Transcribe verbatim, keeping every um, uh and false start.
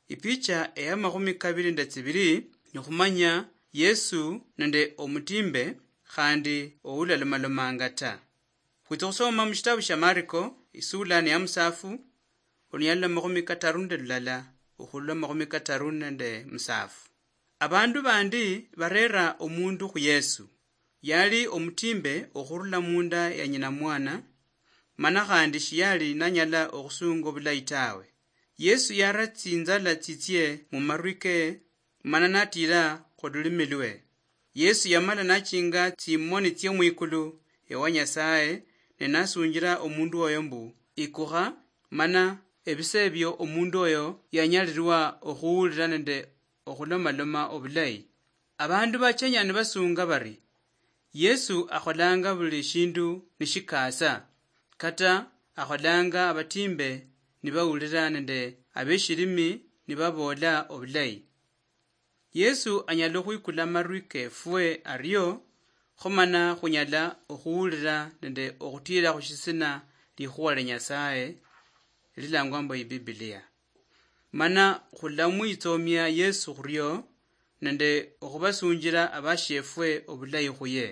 Ipicha eya makhumi kabiri nende tsibiri ni khumanya Yesu nende omutimbe khandi oulalomalomanga ta. Khwitsa khusoma mushitabu shia Mariko, isula ni ya musafu, olunyalo lwa makhumi kataru nende lulala okhurula makhumi kataru nende musafu. Abandu bandi barera omundu khu Yesu. Yali omutimbe okhurula munda ya nyina mwana, mana khandi shiyali nanyala okhusunga obulayi tawe. Yesu yara tsinzala tsitsie mumarwi ke, mana natira khululimi lwe. Yesu yamala nachinga tsimoni tsie mwikulu ewa Nyasaye, ne nasunjira omundu oyo mbu, "Ikukha, mana ebise ebio omundu oyo yanyalirwa okhuwulira nende okhulomaloma obulayi." Abandu bachenya nibasunga bari, "Yesu akholanga buli shindu nishikaasa, kata akholanga abatimbe nibawulira nende abeshilimi nibaboola obulayi." Yesu anyala okhwikula amarwi kefwe ario, khomana khunyala okhuwulira nende okhutiira khushisina likhuwa lia Nyasaye lilangwa mbu Ibibilia. Mana khulamwitsomia Yesu khurio nende okhubasunjira abashiefwe obulayi khuye.